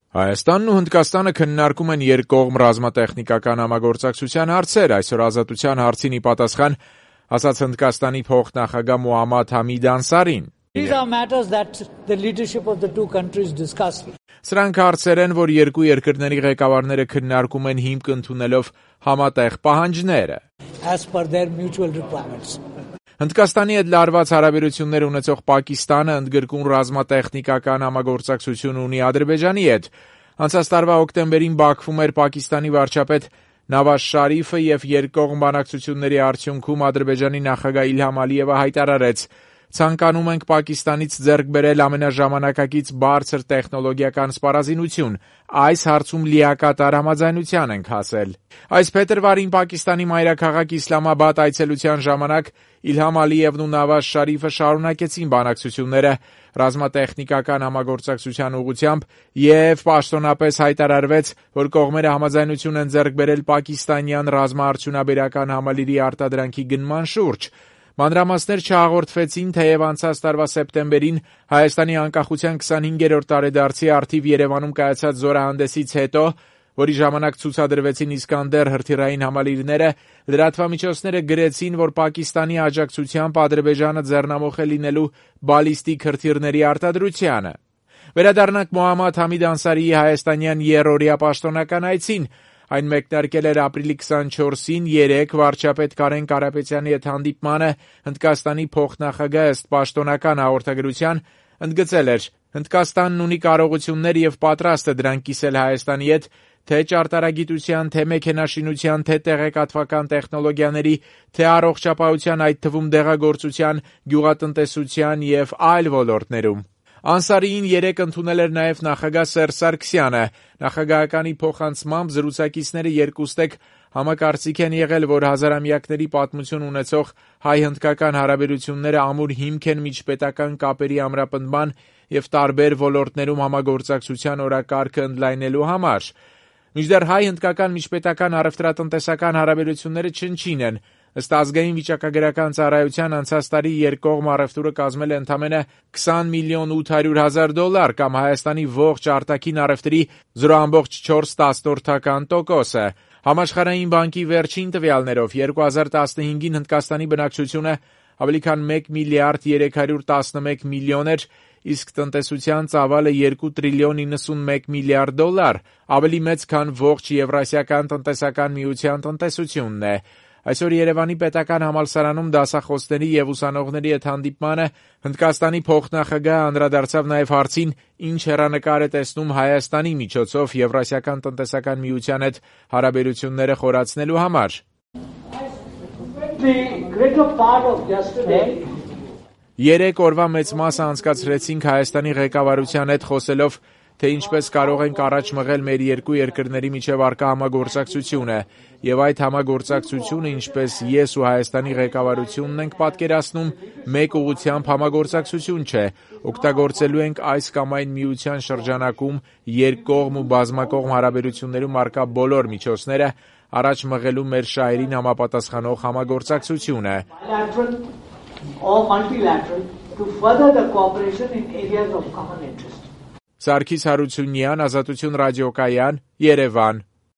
Հայաստանն ու Հնդկաստանը քննարկում են երկկողմ ռազմատեխնիկական համագործակցության հարցեր. այսօր Ազատության հարցին ի պատասխան ասաց Հնդկաստանի փոխնախագահ Մոհամմադ Համիդ Անսարին. Սրանք հարցեր են, որ երկու երկրների ղեկավարները քննարկում են հիմք ընդունելով համատեղ պահանջները. Հնդկաստանի հետ լարված հարաբերություններ ունեցող Պակիստանը ընդգրկուն ռազմատեխնիկական համագործակցություն ունի Ադրբեջանի հետ. Անցած տարվա հոկտեմբերին Բաքվում էր Պակիստանի վարչապետ Նավազ Շարիֆը եւ երկկողմ բանակցությունների արդյունքում Ադրբեջանի նախագահ Իլհամ Ալիևը հայտարարեց. ցանկանում ենք Պակիստանից ձեռք բերել ամենաժամանակակից բարձր տեխնոլոգիական սպառազինություն. այս հարցում լիակատար համաձայնության ենք հասել. Այս փետրվարին Պակիստանի մայրաքաղաք Իսլամաբադ այցելության ժամանակ Իլհամ Ալիևն ու Նավազ Շարիֆը շարունակեցին բանակցությունները ռազմատեխնիկական համագործակցության ուղղությամբ եւ պաշտոնապես հայտարարվեց, որ կողմերը համաձայնություն են ձեռք բերել պակիստանյան ռազմաարդյունաբերական համալիրի արտադրանքի գնման շուրջ. Մանրամասներ չհաղորդվեցին, թեև անցած տարվա սեպտեմբերին Հայաստանի անկախության 25-րդ տարեդարձի առթիվ Երևանում կայացած զորահանդեսից հետո, որի ժամանակ ցուցադրվեցին Իսկանդեր հրթիռային համալիրները, լրատվամիջոցները գրեցին, որ Պակիստանի աջակցությամբ Ադրբեջանը ձեռնամուխ է լինելու բալիստիկ հրթիռների արտադրությանը. Վերադառնանք Մոհամմադ Համիդ Անսարիի հայաստանյան եռօրյա պաշտոնական այցին. Այն մեկնարկել էր ապրիլի 24-ին երեկ վարչապետ Կարեն Կարապետյանի հետ հանդիպմանը Հնդկաստանի փոխնախագահ ըստ պաշտոնական հաղորդագրության ընդգծել էր. Հնդկաստանն ունի կարողություններ եւ պատրաստ է դրանք կիսել Հայաստանի հետ թե ճարտարագիտության, թե մեքենաշինության, թե տեղեկատվական տեխնոլոգիաների, թե առողջապահության, այդ թվում դեղագործության, գյուղատնտեսության եւ այլ ոլորտներում. Անսարիին երեկ ընդունել էր նաև նախագահ Սերժ Սարգսյանը. Նախագահականի փոխանցմամբ զրուցակիցները երկուստեք համակարծիք են եղել, որ հազարամյակների պատմություն ունեցող հայ-հնդկական հարաբերությունները ամուր հիմք են միջպետական կապերի ամրապնդման եւ տարբեր ոլորտներում համագործակցության օրակարգը ընդլայնելու համար. Մինչդեռ հայ-հնդկական միջպետական առևտրատնտեսական հարաբերությունները չնչին են. Ըստ ազգային վիճակագրական ծառայության անցած տարի երկկողմ առևտուրը կազմել է ընդամենը $20 միլիոն 800 հազար կամ Հայաստանի ողջ արտաքին առևտրի 0.4%. Համաշխարհային բանկի վերջին տվյալներով 2015-ին Հնդկաստանի բնակչությունը ավելի քան 1 միլիարդ 311 միլիոն էր, իսկ տնտեսության ծավալը $2 տրիլիոն 91 միլիարդ, ավելի մեծ քան ողջ Եվրասիական տնտեսական միության տնտեսությունն է. Այսօր Երևանի պետական համալսարանում դասախոսների եւ ուսանողների հետ հանդիպմանը Հնդկաստանի փոխնախագահը անդրադարձավ նաեւ հարցին, ինչ հեռանկար է տեսնում Հայաստանի միջոցով Եվրասիական տնտեսական միության հետ հարաբերությունները խորացնելու համար. Երեք օրվա մեծ մասը անցկացրեցինք Հայաստանի ղեկավարության հետ խոսելով, թե ինչպես կարող ենք առաջ մղել մեր երկու երկրների միջև առկա համագործակցությունը, եւ այդ համագործակցությունը, ինչպես ես ու Հայաստանի ղեկավարությունն ենք պատկերացնում, մեկ ուղղությամբ համագործակցություն չէ, օգտագործելու ենք այս կամ այն միության շրջանակում երկկողմ ու բազմակողմ հարաբերություններում առկա բոլոր միջոցները առաջ մղելու մեր շահերին համապատասխանող համագործակցությունը. Սարգիս Հարությունյան, Ազատություն ռադիոկայան, Երևան.